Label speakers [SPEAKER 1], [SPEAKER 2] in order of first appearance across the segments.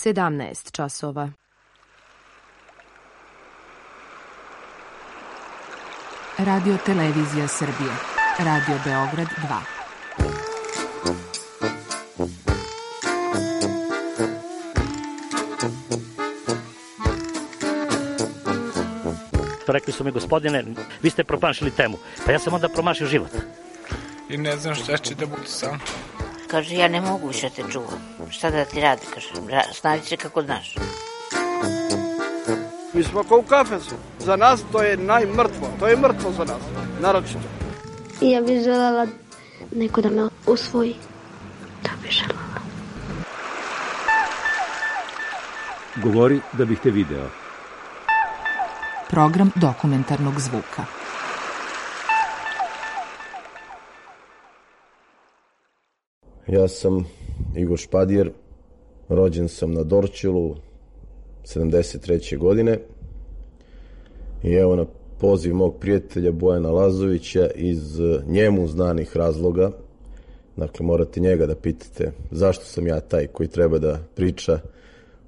[SPEAKER 1] 17 časova.
[SPEAKER 2] Radio Televizija Srbije. Radio Beograd
[SPEAKER 3] 2. Rekli su mi, gospodine, vi ste promašili temu. Pa ja sam onda promašio život.
[SPEAKER 4] I ne znam šta će da bude sam.
[SPEAKER 5] Kaže, ja ne mogu više te čuvam. Šta da ti radi, kaže, snađi se kako znaš.
[SPEAKER 6] Mi smo kao u kafesu. Za nas to je najmrtvo. To je mrtvo za nas, naročito.
[SPEAKER 7] Ja bih želela neko da me usvoji. To bih želela.
[SPEAKER 8] Govori da bih te video.
[SPEAKER 2] Program dokumentarnog zvuka.
[SPEAKER 9] Ja sam Igor Špadjer, rođen sam na Dorćolu 73. godine i evo na poziv mog prijatelja Bojana Lazovića iz njemu znanih razloga, dakle morate njega da pitate zašto sam ja taj koji treba da priča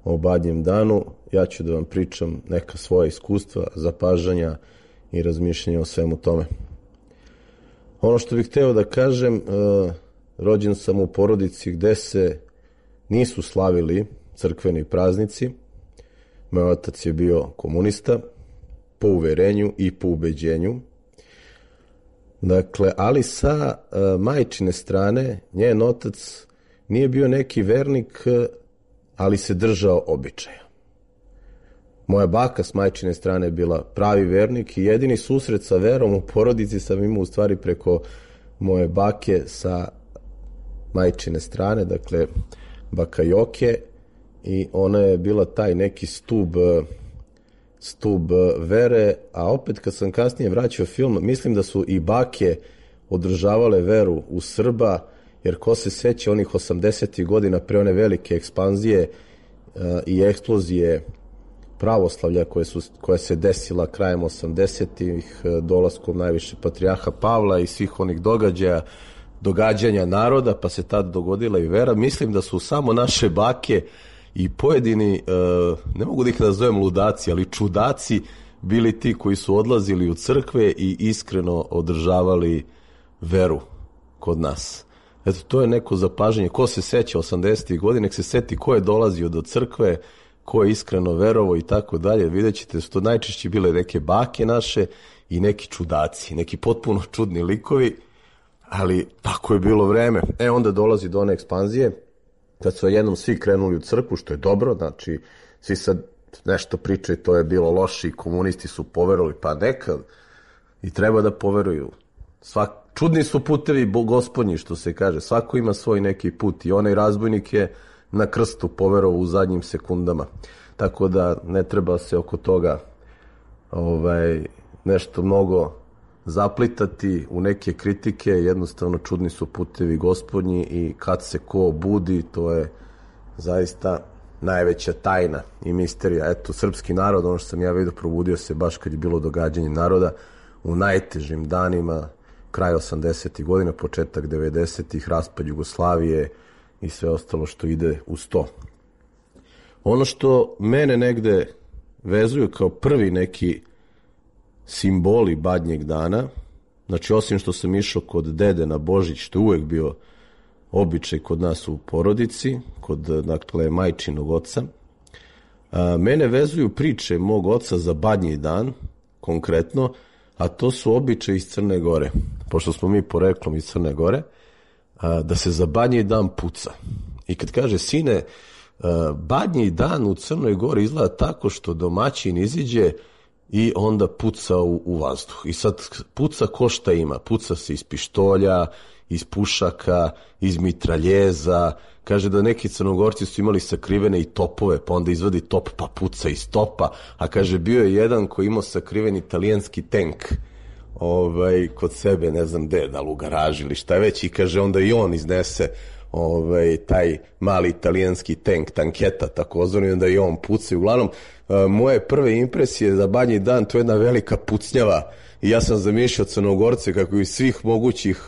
[SPEAKER 9] o Badnjem danu, ja ću da vam pričam neka svoja iskustva, zapažanja i razmišljanja o svemu tome. Ono što bih hteo da kažem, rođen sam u porodici gde se nisu slavili crkveni praznici. Moj otac je bio komunista po uverenju i po ubeđenju. Dakle, ali sa majčine strane, njen otac nije bio neki vernik, ali se držao običaja. Moja baka s majčine strane je bila pravi vernik i jedini susret sa verom u porodici sam imao u stvari preko moje bake sa majčine strane, dakle baka Joke, i ona je bila taj neki stub vere, a opet kad sam kasnije vraćao film, mislim da su i bake održavale veru u Srba, jer ko se seća onih 80. godina pre one velike ekspanzije i eksplozije pravoslavlja koja se desila krajem 80-ih, dolaskom najviše patrijarha Pavla i svih onih događanja naroda, pa se tad dogodila i vera. Mislim da su samo naše bake i pojedini, ne mogu da ih nazovem ludaci, ali čudaci, bili ti koji su odlazili u crkve i iskreno održavali veru kod nas. Eto, to je neko zapažanje. Ko se seća 80. godine, nek se seti ko je dolazio do crkve, ko je iskreno verovo i tako dalje. Vidjet ćete, su to najčešće bile neke bake naše i neki čudaci, neki potpuno čudni likovi, ali tako je bilo vreme. Onda dolazi do one ekspanzije, kad su jednom svi krenuli u crkvu, što je dobro, znači svi sad nešto pričaju, to je bilo loše i komunisti su poverovali, pa nekad i treba da poveruju. Čudni su putevi gospodnji, što se kaže, svako ima svoj neki put i onaj razbojnik je na krstu poverovao u zadnjim sekundama. Tako da ne treba se oko toga nešto mnogo zaplitati u neke kritike, jednostavno čudni su putevi gospodnji i kad se ko budi, to je zaista najveća tajna i misterija. Eto, srpski narod, ono što sam ja vidio, probudio se baš kad je bilo događanje naroda u najtežim danima, kraj 80. godina, početak 90. raspad Jugoslavije i sve ostalo što ide uz to. Ono što mene negde vezuje kao prvi neki simboli Badnjeg dana, znači osim što sam išao kod dede na Božić, što je uvek bio običaj kod nas u porodici, kod, dakle, majčinog oca, mene vezuju priče mog oca za Badnji dan, konkretno, a to su običaji iz Crne Gore, pošto smo mi poreklom iz Crne Gore, da se za Badnji dan puca. I kad kaže, sine, Badnji dan u Crnoj Gori izgleda tako što domaćin iziđe i onda puca u vazduh. I sad puca ko šta ima. Puca se iz pištolja, iz pušaka, iz mitraljeza. Kaže da neki Crnogorci su imali sakrivene i topove, pa onda izvadi top pa puca iz topa. A kaže bio je jedan koji imao sakriven italijanski tank kod sebe, ne znam gde, da li u garaži ili šta već, i kaže onda i on iznese taj mali italijanski tank, tanketa takozvani, onda i on puca. Uglavnom, moje prve impresije za Badnji dan, to je jedna velika pucnjava i ja sam zamišljao Crnogorce kako iz svih mogućih,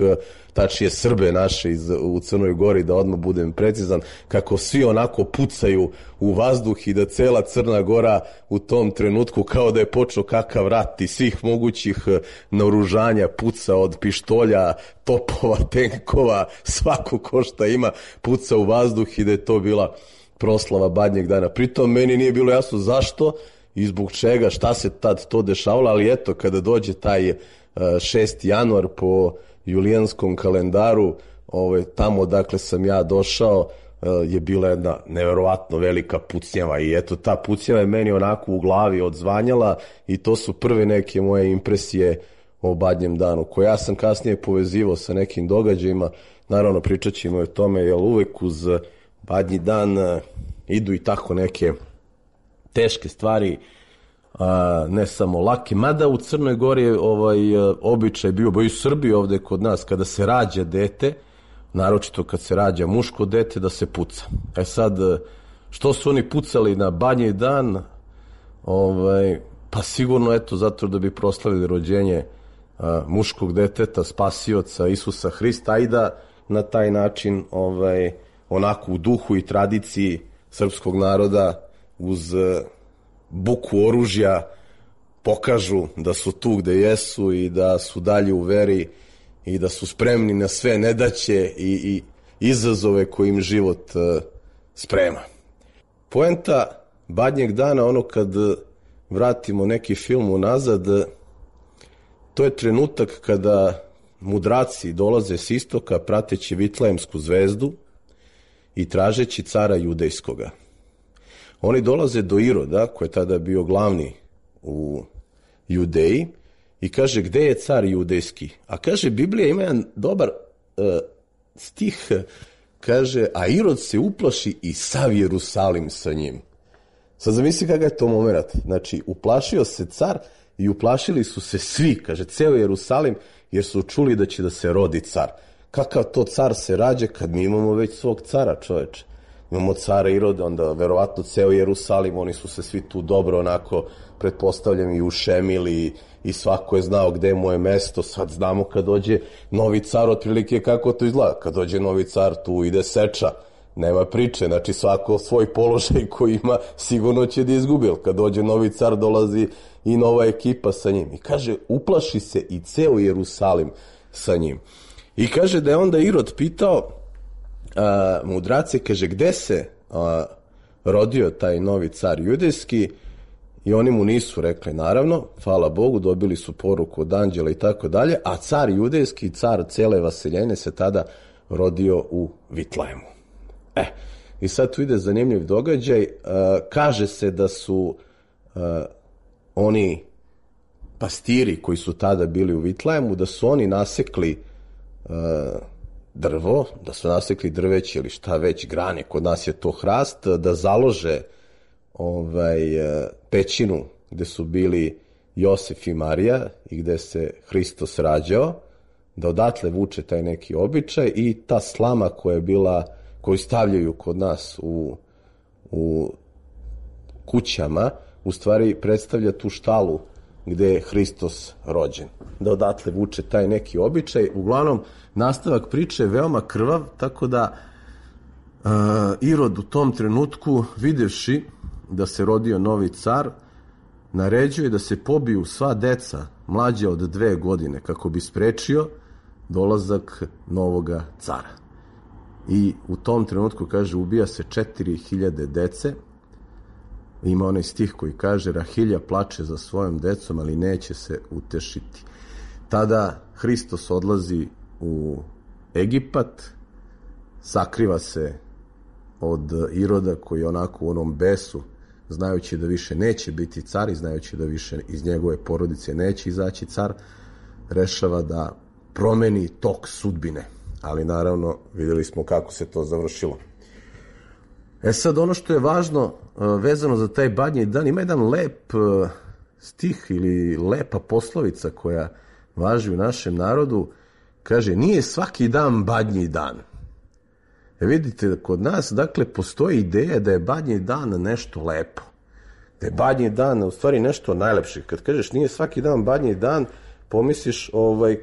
[SPEAKER 9] tačnije Srbe naše u Crnoj Gori, da odmah budem precizan, kako svi onako pucaju u vazduh i da cela Crna Gora u tom trenutku kao da je počeo kakav rat i svih mogućih naoružanja puca, od pištolja, topova, tenkova, svako ko šta ima puca u vazduh i da je to bila proslava Badnjeg dana. Pritom meni nije bilo jasno zašto i zbog čega, šta se tad to dešavalo, ali eto, kada dođe taj 6. januar po julijanskom kalendaru, tamo dakle sam ja došao, je bila jedna neverovatno velika pucnjava i eto, ta pucnjava je meni onako u glavi odzvanjala i to su prve neke moje impresije o Badnjem danu, koje ja sam kasnije povezivao sa nekim događajima. Naravno, pričat ćemo o tome, jer uvek uz Badnji dan idu i tako neke teške stvari, ne samo lake, mada u Crnoj Gori je običaj bio, i u Srbiji ovde kod nas, kada se rađa dete, naročito kad se rađa muško dete, da se puca. Sad, što su oni pucali na Badnji dan? Pa sigurno, eto, zato da bi proslavili rođenje muškog deteta, spasioca Isusa Hrista, i da na taj način, onako u duhu i tradiciji srpskog naroda, uz buku oružja, pokažu da su tu gde jesu i da su dalje u veri i da su spremni na sve nedaće i izazove koje im život sprema. Poenta Badnjeg dana, ono kad vratimo neki film unazad, to je trenutak kada mudraci dolaze s istoka prateći Vitlejemsku zvezdu i tražeći cara judejskoga. Oni dolaze do Iroda, koji je tada bio glavni u Judeji, i kaže, gde je car judejski? A kaže, Biblija ima jedan dobar stih, kaže, a Irod se uplaši i sav Jerusalim sa njim. Sad zamisli kakav je to moment. Znači, uplašio se car i uplašili su se svi, kaže, ceo Jerusalim, jer su čuli da će da se rodi car. Kakav to car se rađe kad mi imamo već svog cara, čoveče? Imamo cara Iroda, onda verovatno ceo Jerusalim, oni su se svi tu dobro onako, pretpostavljam, i ušemili i svako je znao gde je moje mesto. Sad znamo kad dođe novi car, otprilike kako to izgleda. Kad dođe novi car, tu ide seča, nema priče, znači svako svoj položaj koji ima sigurno će da izgubi. Kad dođe novi car, dolazi i nova ekipa sa njim. I kaže, uplaši se i ceo Jerusalim sa njim. I kaže da je onda Irod pitao mudrace, kaže, gde se rodio taj novi car judejski, i oni mu nisu rekli, naravno, hvala Bogu, dobili su poruku od anđela i tako dalje, a car judejski, car cele vaseljene, se tada rodio u Vitlejemu. I sad tu ide zanimljiv događaj. Kaže se da su oni pastiri koji su tada bili u Vitlejemu, da su oni nasekli drvo, da su nasekli drveće ili šta već, grane, kod nas je to hrast, da založe pećinu gde su bili Josif i Marija i gde se Hristos rađao, da odatle vuče taj neki običaj, i ta slama koja je bila, koju stavljaju kod nas u kućama, u stvari predstavlja tu štalu gde je Hristos rođen. Da odatle vuče taj neki običaj. Uglavnom, nastavak priče je veoma krvav, tako da Irod u tom trenutku, videvši da se rodio novi car, naređuje da se pobiju sva deca mlađa od 2 godine kako bi sprečio dolazak novoga cara. I u tom trenutku, kaže, ubija se 4000 dece. Ima onaj stih koji kaže, Rahilja plače za svojom decom, ali neće se utešiti. Tada Hristos odlazi u Egipat, sakriva se od Iroda, koji je onako u onom besu, znajući da više neće biti car i znajući da više iz njegove porodice neće izaći car, rešava da promeni tok sudbine. Ali naravno, videli smo kako se to završilo. Sad, ono što je važno vezano za taj Badnji dan, ima jedan lep stih ili lepa poslovica koja važi u našem narodu. Kaže, nije svaki dan Badnji dan. Vidite, kod nas, dakle, postoji ideja da je Badnji dan nešto lepo. Da je Badnji dan u stvari nešto najlepše. Kad kažeš nije svaki dan Badnji dan, pomisliš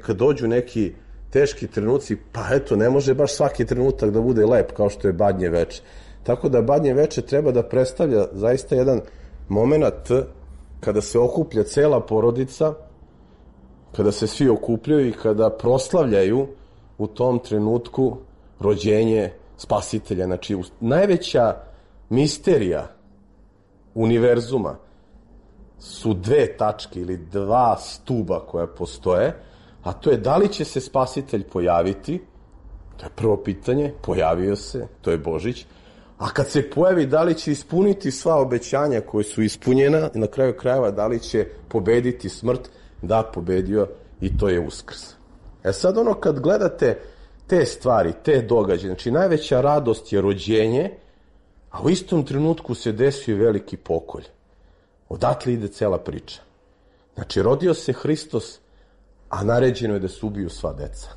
[SPEAKER 9] kad dođu neki teški trenuci, pa eto, ne može baš svaki trenutak da bude lep kao što je Badnje veče. Tako da Badnje veče treba da predstavlja zaista jedan moment kada se okuplja cela porodica, kada se svi okupljaju i kada proslavljaju u tom trenutku rođenje Spasitelja. Znači, najveća misterija univerzuma su dve tačke ili dva stuba koja postoje, a to je da li će se Spasitelj pojaviti, to je prvo pitanje, pojavio se, to je Božić, a kad se pojavi, da li će ispuniti sva obećanja koje su ispunjena i na kraju krajeva da li će pobediti smrt, da, pobedio i to je Uskrs. Sad kad gledate te stvari, te događaje, znači najveća radost je rođenje, a u istom trenutku se desio veliki pokolj. Odatle ide cela priča. Znači, rodio se Hristos, a naređeno je da se ubiju sva deca.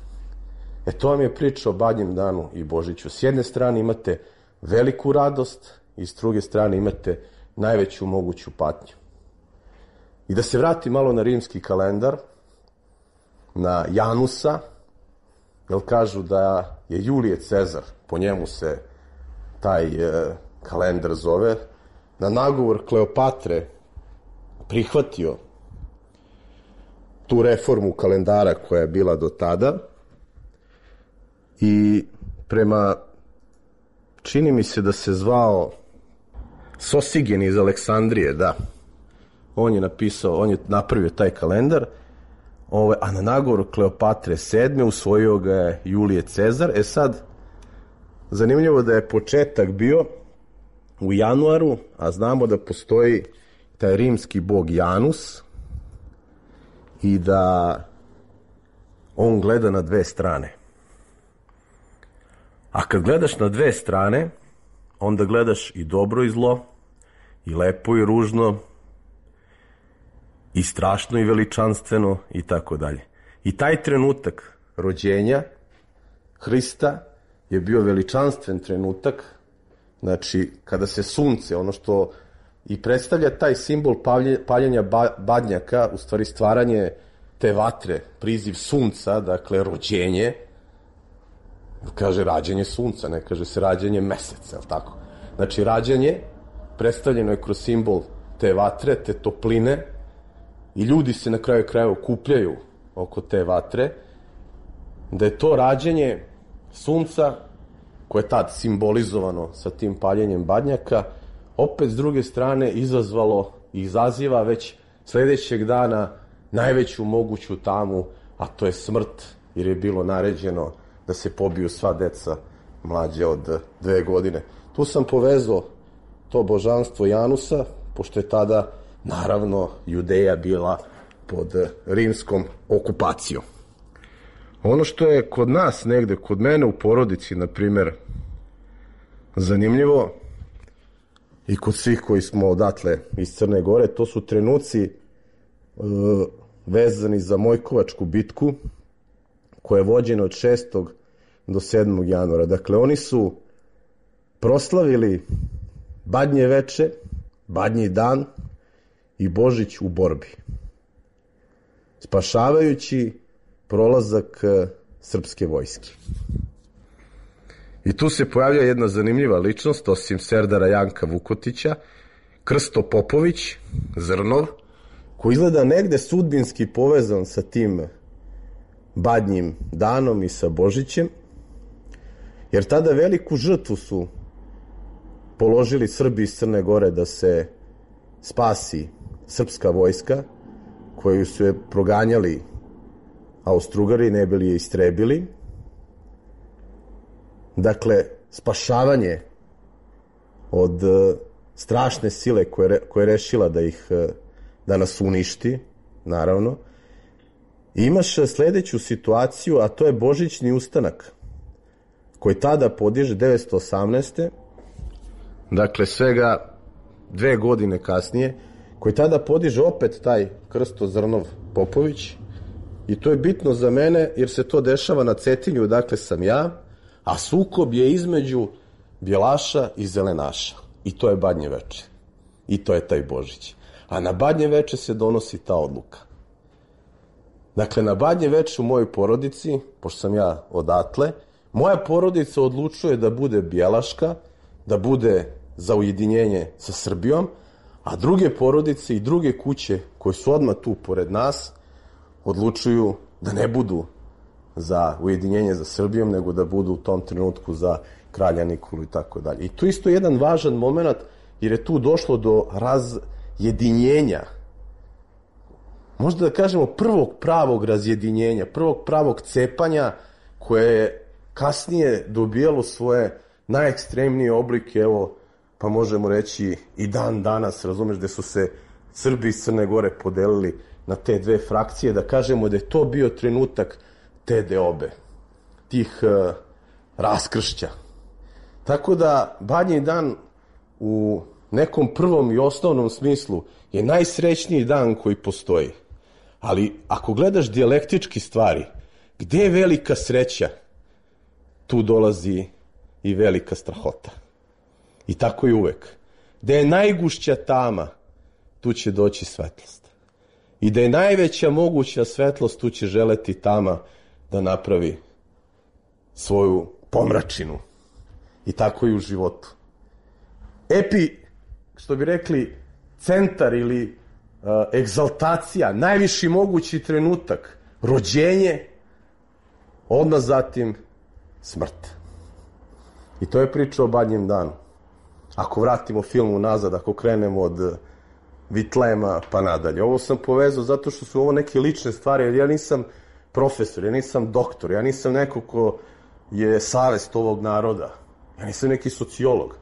[SPEAKER 9] To vam je priča o Badnjem danu i Božiću. S jedne strane imate veliku radost i s druge strane imate najveću moguću patnju. I da se vrati malo na rimski kalendar, na Janusa, jer kažu da je Julije Cezar, po njemu se taj kalendar zove, na nagovor Kleopatre prihvatio tu reformu kalendara koja je bila do tada i prema, čini mi se da se zvao Sosigen iz Aleksandrije, da, on je napravio taj kalendar, a na nagovor Kleopatre VII usvojio ga je Julije Cezar. Sad, zanimljivo da je početak bio u januaru, a znamo da postoji taj rimski bog Janus i da on gleda na dve strane. A kad gledaš na dve strane, onda gledaš i dobro i zlo, i lepo i ružno, i strašno i veličanstveno i tako dalje. I taj trenutak rođenja Hrista je bio veličanstven trenutak, znači kada se sunce, ono što i predstavlja taj simbol paljenja badnjaka, u stvari stvaranje te vatre, priziv sunca, dakle rođenje, kaže rađenje sunca, ne kaže se rađenje meseca, je li tako? Znači rađenje predstavljeno je kroz simbol te vatre, te topline, i ljudi se na kraju krajeva okupljaju oko te vatre, da je to rađenje sunca, koje je tad simbolizovano sa tim paljenjem badnjaka, opet s druge strane izazvalo i izaziva već sledećeg dana najveću moguću tamu, a to je smrt, jer je bilo naređeno da se pobiju sva deca mlađe od 2 godine. Tu sam povezao to božanstvo Janusa, pošto je tada, naravno, Judeja bila pod rimskom okupacijom. Ono što je kod nas negde, kod mene u porodici, na primer, zanimljivo, i kod svih koji smo odatle iz Crne Gore, to su trenuci vezani za Mojkovačku bitku, koja je vođena od 6. do 7. januara. Dakle, oni su proslavili Badnje veče, Badnji dan i Božić u borbi, spašavajući prolazak srpske vojske. I tu se pojavlja jedna zanimljiva ličnost, osim Serdara Janka Vukotića, Krsto Popović, Zrnov, koji izgleda negde sudbinski povezan sa tim Badnjim danom i sa Božićem, jer tada veliku žrtvu su položili Srbi iz Crne Gore da se spasi srpska vojska, koju su je proganjali Austrougariji, ne bili je istrebili. Dakle, spašavanje od strašne sile koja je rešila da nas uništi, naravno. I imaš sledeću situaciju, a to je Božićni ustanak, koji tada podiže 918. Dakle, svega 2 godine kasnije, koji tada podiže opet taj Krsto Zrnov Popović. I to je bitno za mene, jer se to dešava na Cetinju, odakle sam ja, a sukob je između bjelaša i zelenaša. I to je Badnje veče. I to je taj Božić. A na Badnje veče se donosi ta odluka. Dakle, na Badnje veče u mojoj porodici, pošto sam ja odatle, moja porodica odlučuje da bude bjelaška, da bude za ujedinjenje sa Srbijom, a druge porodice i druge kuće koje su odmah tu pored nas odlučuju da ne budu za ujedinjenje za Srbijom, nego da budu u tom trenutku za kralja Nikolu i tako dalje. I tu isto jedan važan moment, jer je tu došlo do razjedinjenja, možda da kažemo prvog pravog razjedinjenja, prvog pravog cepanja koje je kasnije dobijalo svoje najekstremnije oblike, evo, pa možemo reći i dan danas, razumeš, gde su se Srbi iz Crne Gore podelili na te dve frakcije, da kažemo da je to bio trenutak te deobe, tih raskršća. Tako da Badnji dan u nekom prvom i osnovnom smislu je najsrećniji dan koji postoji. Ali ako gledaš dijalektički stvari, gde je velika sreća, tu dolazi i velika strahota. I tako je uvek. Gde je najgušća tama, tu će doći svetlost. I da je najveća moguća svetlost, tu će želeti tama da napravi svoju pomračinu. I tako i u životu. Što bi rekli, centar ili egzaltacija, najviši mogući trenutak, rođenje, odmah zatim smrt. I to je priča o Badnjem danu. Ako vratimo film unazad, ako krenemo od Vitlema pa nadalje. Ovo sam povezao zato što su ovo neke lične stvari, jer ja nisam profesor, ja nisam doktor, ja nisam neko ko je savest ovog naroda, ja nisam neki sociolog.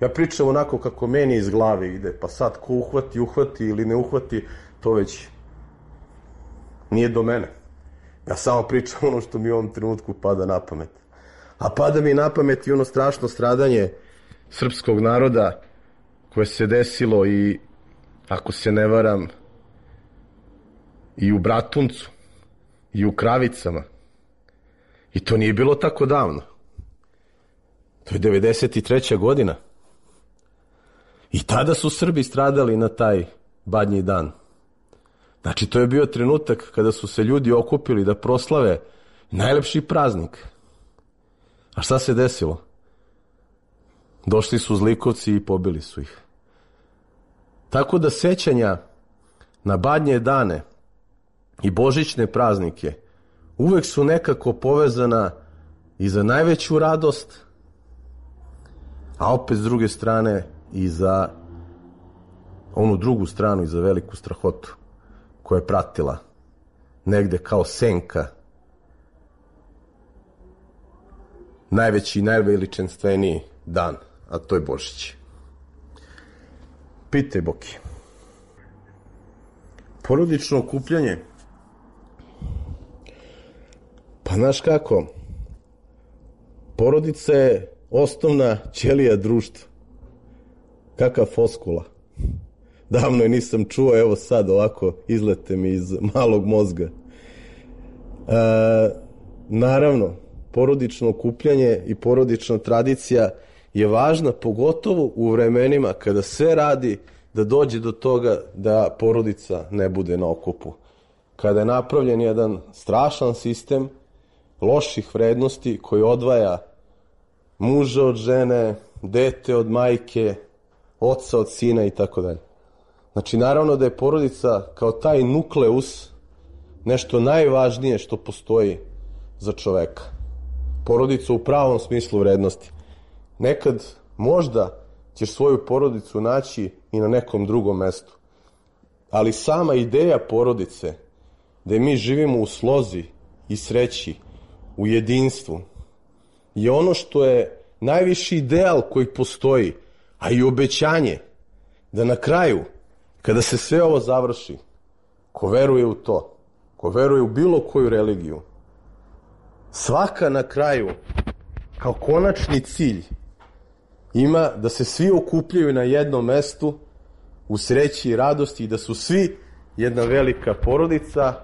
[SPEAKER 9] Ja pričam onako kako meni iz glave ide, pa sad ko uhvati ili ne uhvati, to već nije do mene. Ja samo pričam ono što mi u ovom trenutku pada na pamet. A pada mi na pamet i ono strašno stradanje srpskog naroda koje se desilo i, ako se ne varam, i u Bratuncu, i u Kravicama. I to nije bilo tako davno. To je 93. godina. I tada su Srbi stradali na taj Badnji dan. Znači, to je bio trenutak kada su se ljudi okupili da proslave najlepši praznik. A šta se desilo? Došli su zlikovci i pobili su ih. Tako da sećanja na Badnje dane i božićne praznike uvek su nekako povezana i za najveću radost, a opet s druge strane i za onu drugu stranu i za veliku strahotu koja je pratila negde kao senka najveći i najveličanstveniji dan, a to je Božić. Pitaj, Boki. Porodično okupljanje. Pa znaš kako, porodica je osnovna ćelija društva. Kakva foskula. Davno je nisam čuo, evo sad ovako izlete mi iz malog mozga. Naravno, porodično okupljanje i porodična tradicija je važna, pogotovo u vremenima kada sve radi da dođe do toga da porodica ne bude na okupu. Kada je napravljen jedan strašan sistem loših vrednosti koji odvaja muža od žene, dete od majke, oca od sina i tako dalje. Znači, naravno da je porodica kao taj nukleus nešto najvažnije što postoji za čoveka. Porodica u pravom smislu vrednosti. Nekad možda ćeš svoju porodicu naći i na nekom drugom mestu. Ali sama ideja porodice, da mi živimo u slozi i sreći, u jedinstvu, je ono što je najviši ideal koji postoji, a i obećanje da na kraju, kada se sve ovo završi, ko veruje u to, ko veruje u bilo koju religiju, svaka na kraju, kao konačni cilj, ima da se svi okupljaju na jednom mestu u sreći i radosti i da su svi jedna velika porodica,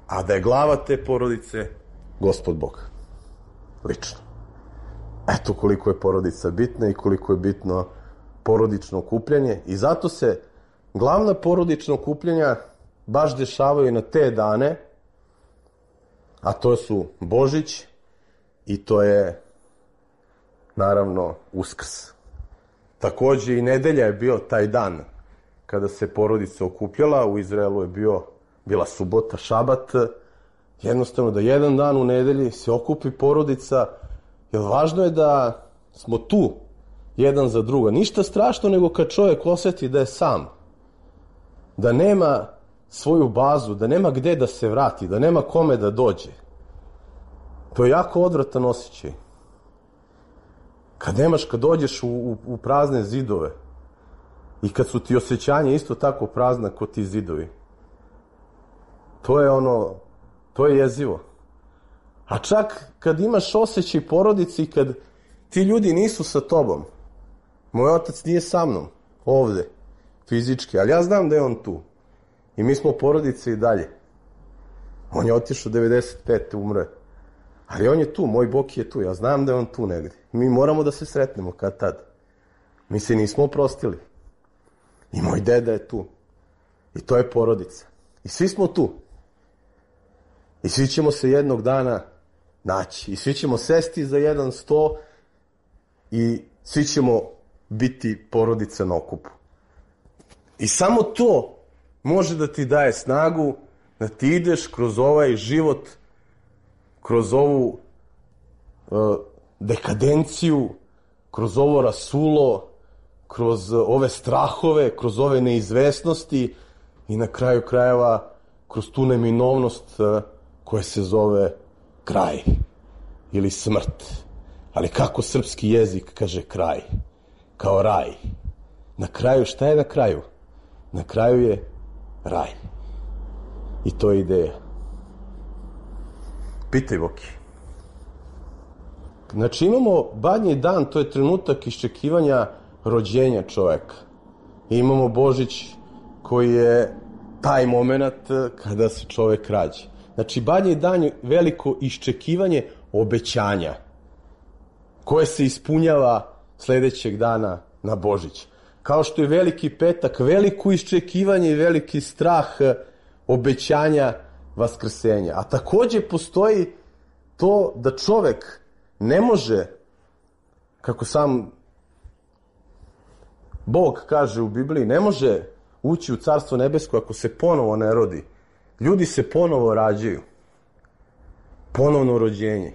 [SPEAKER 9] a da je glava te porodice Gospod Bog. Lično. Eto koliko je porodica bitna i koliko je bitno porodično okupljanje i zato se glavna porodična okupljanja baš dešavaju na te dane A to su Božić i to je, naravno, Uskrs. Takođe i nedelja je bio taj dan kada se porodica okupljala. U Izraelu je bila subota, šabat. Jednostavno da jedan dan u nedelji se okupi porodica, jer važno je da smo tu jedan za druga. Ništa strašno nego kad čovjek osjeti da je sam, da nema svoju bazu, da nema gde da se vrati, da nema kome da dođe. To je jako odvratan osjećaj. Kad dođeš u prazne zidove i kad su ti osjećanja isto tako prazna kao ti zidovi, to je jezivo. A čak kad imaš osjećaj porodici i kad ti ljudi nisu sa tobom, moj otac nije sa mnom ovde, fizički, ali ja znam da je on tu. I mi smo porodice i dalje. On je otišao 95. umre. Ali on je tu, moj Boki je tu, ja znam da je on tu negde. Mi moramo da se sretnemo kad tad. Mi se nismo oprostili. I moj deda je tu. I to je porodica. I svi smo tu. I svi ćemo se jednog dana naći. I svi ćemo sesti za jedan sto i svi ćemo biti porodica na okupu. I samo to može da ti daje snagu da ti ideš kroz ovaj život, kroz ovu dekadenciju, kroz ovo rasulo, kroz ove strahove, kroz ove neizvesnosti i na kraju krajeva kroz tu neminovnost koja se zove kraj ili smrt. Ali kako srpski jezik kaže kraj? Kao raj. Na kraju, šta je na kraju? Na kraju je raj. I to je ideja. Pitaj, Boki. Znači imamo Badnji dan, to je trenutak iščekivanja rođenja čoveka. I imamo Božić koji je taj moment kada se čovek rađa. Znači Badnji dan je veliko iščekivanje obećanja koje se ispunjava sledećeg dana na Božić. Kao što je Veliki petak, veliko iščekivanje i veliki strah obećanja vaskrsenja. A takođe postoji to da čovek ne može, kako sam Bog kaže u Bibliji, ne može ući u Carstvo nebesko ako se ponovo ne rodi. Ljudi se ponovo rađaju. Ponovno rođenje.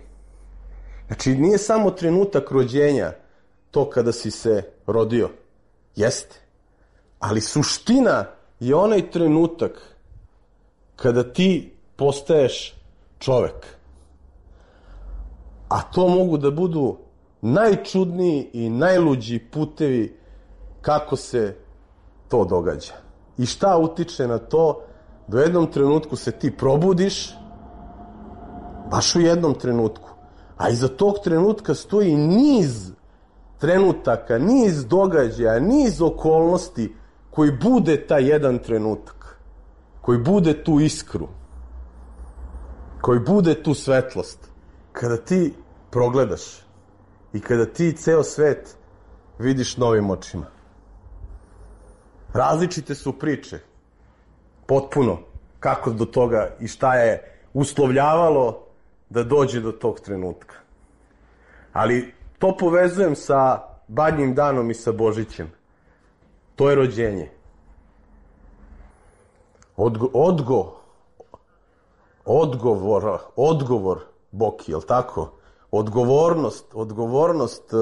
[SPEAKER 9] Znači, nije samo trenutak rođenja to kada si se rodio. Jeste. Ali suština je onaj trenutak kada ti postaješ čovek. A to mogu da budu najčudniji i najluđi putevi kako se to događa. I šta utiče na to da u jednom trenutku se ti probudiš, baš u jednom trenutku, a iza tog trenutka stoji niz trenutaka, niz događaja, niz okolnosti koji bude taj jedan trenutak, koji bude tu iskru, koji bude tu svetlost. Kada ti progledaš i kada ti ceo svet vidiš novim očima. Različite su priče, potpuno, kako do toga i šta je uslovljavalo da dođe do tog trenutka. Ali to povezujem sa Badnjim danom i sa Božićem. To je rođenje. Odgovor, Boki, jel tako? Odgovornost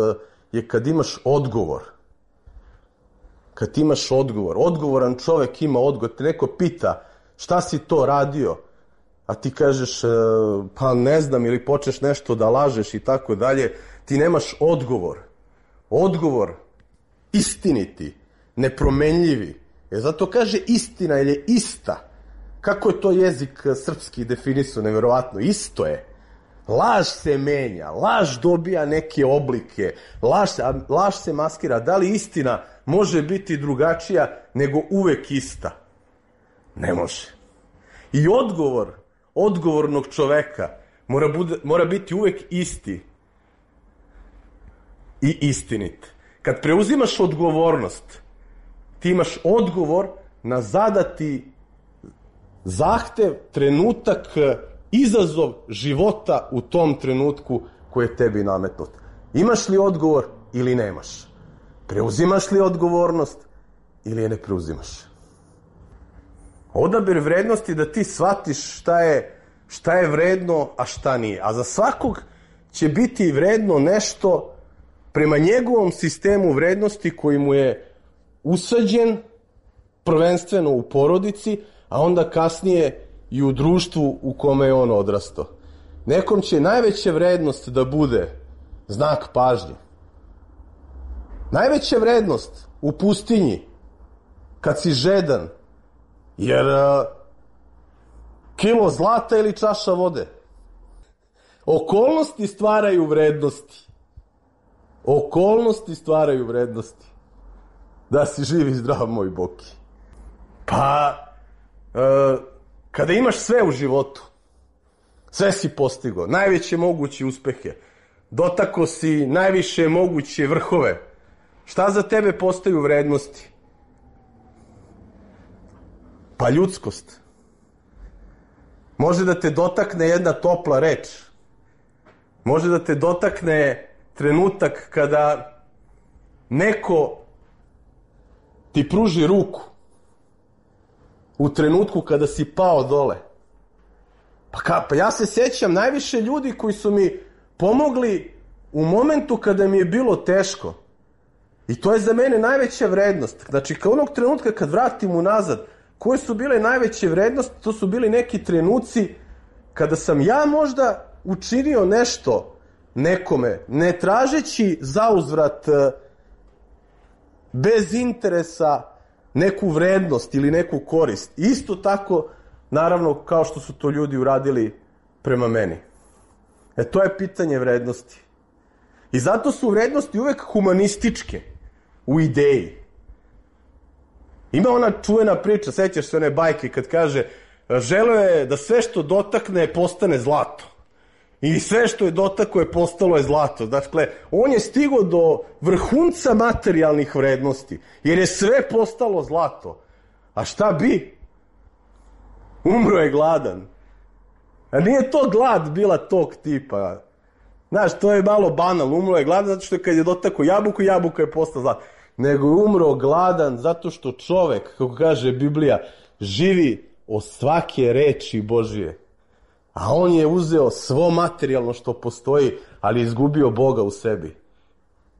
[SPEAKER 9] je kad imaš odgovor. Kad imaš odgovor. Odgovoran čovek ima odgovor. Te neko pita šta si to radio, a ti kažeš pa ne znam, ili počneš nešto da lažeš i tako dalje, ti nemaš odgovor. Odgovor istiniti, nepromenljivi. Zato kaže istina, jer je ista. Kako je to jezik srpski definisao, neverovatno, isto je. Laž se menja, laž dobija neke oblike, laž se maskira. Da li istina može biti drugačija nego uvek ista? Ne može. I odgovor odgovornog čoveka mora biti uvek isti i istinit. Kad preuzimaš odgovornost, ti imaš odgovor na zadati zahtev, trenutak izazov života u tom trenutku koji je tebi nametnut. Imaš li odgovor ili nemaš? Preuzimaš li odgovornost ili je ne preuzimaš? Odabir vrednosti da ti shvatiš šta je vredno, a šta nije. A za svakog će biti vredno nešto prema njegovom sistemu vrednosti koji mu je usađen prvenstveno u porodici, a onda kasnije i u društvu u kome je on odrastao. Nekom će najveća vrednost da bude znak pažnje. Najveća vrednost u pustinji, kad si žedan, jer kilo zlata ili čaša vode. Okolnosti stvaraju vrednosti. Okolnosti stvaraju vrednosti. Da si živ i zdrav, moj Boki. Pa, kada imaš sve u životu, sve si postigao, najveće moguće uspehe, dotako si najviše moguće vrhove, šta za tebe postaju vrednosti? Pa ljudskost. Može da te dotakne jedna topla reč. Može da te dotakne trenutak kada neko ti pruži ruku u trenutku kada si pao dole. Pa ja se sećam najviše ljudi koji su mi pomogli u momentu kada mi je bilo teško. I to je za mene najveća vrednost. Znači, kao onog trenutka kad vratim unazad, koje su bile najveće vrednosti, to su bili neki trenuci kada sam ja možda učinio nešto nekome, ne tražeći zauzvrat bez interesa neku vrednost ili neku korist. Isto tako, naravno, kao što su to ljudi uradili prema meni. To je pitanje vrednosti. I zato su vrednosti uvek humanističke u ideji. Ima ona čuvena priča, sećaš se one bajke kad kaže želeo je da sve što dotakne postane zlato. I sve što je dotakao je postalo je zlato. Dakle, on je stigao do vrhunca materijalnih vrednosti, jer je sve postalo zlato. A šta bi? Umro je gladan. A nije to glad bila tog tipa. Znaš, to je malo banalno. Umro je gladan zato što kad je dotakao jabuku, jabuka je postala zlato. Nego je umro gladan zato što čovek, kako kaže Biblija, živi od svake reči Božije. A on je uzeo svo materijalno što postoji, ali je izgubio Boga u sebi.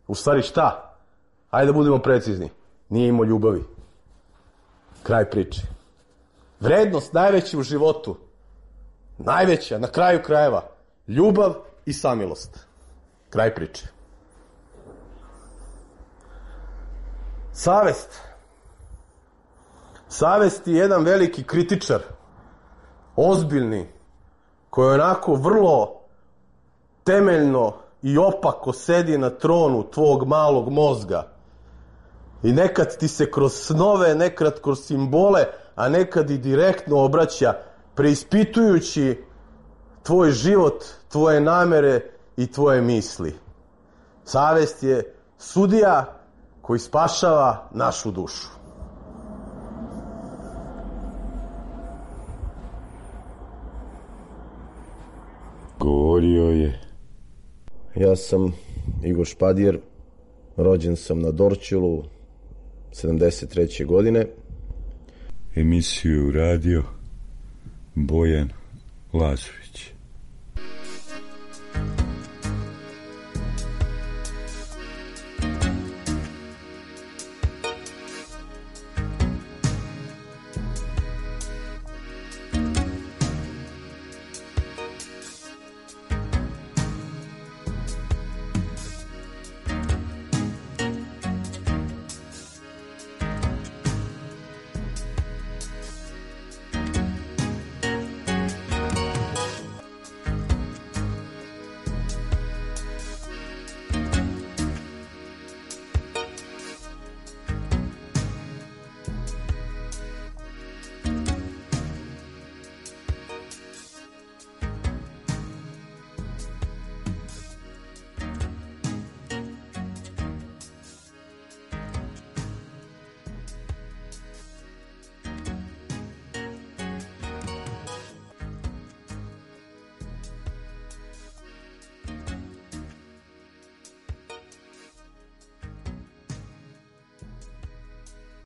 [SPEAKER 9] U stvari šta? Ajde da budemo precizni. Nije imao ljubavi. Kraj priče. Vrednost najveća u životu, najveća, na kraju krajeva, ljubav i samilost. Kraj priče. Savest. Savest je jedan veliki kritičar, ozbiljni, koji onako vrlo temeljno i opako sedi na tronu tvog malog mozga. I nekad ti se kroz snove, nekad kroz simbole, a nekad i direktno obraća, preispitujući tvoj život, tvoje namere i tvoje misli. Savest je sudija koji spašava našu dušu.
[SPEAKER 1] Govorio je.
[SPEAKER 9] Ja sam Igor Špadjer, rođen sam na Dorćolu 73. godine.
[SPEAKER 1] Emisiju radio Bojan Lazović.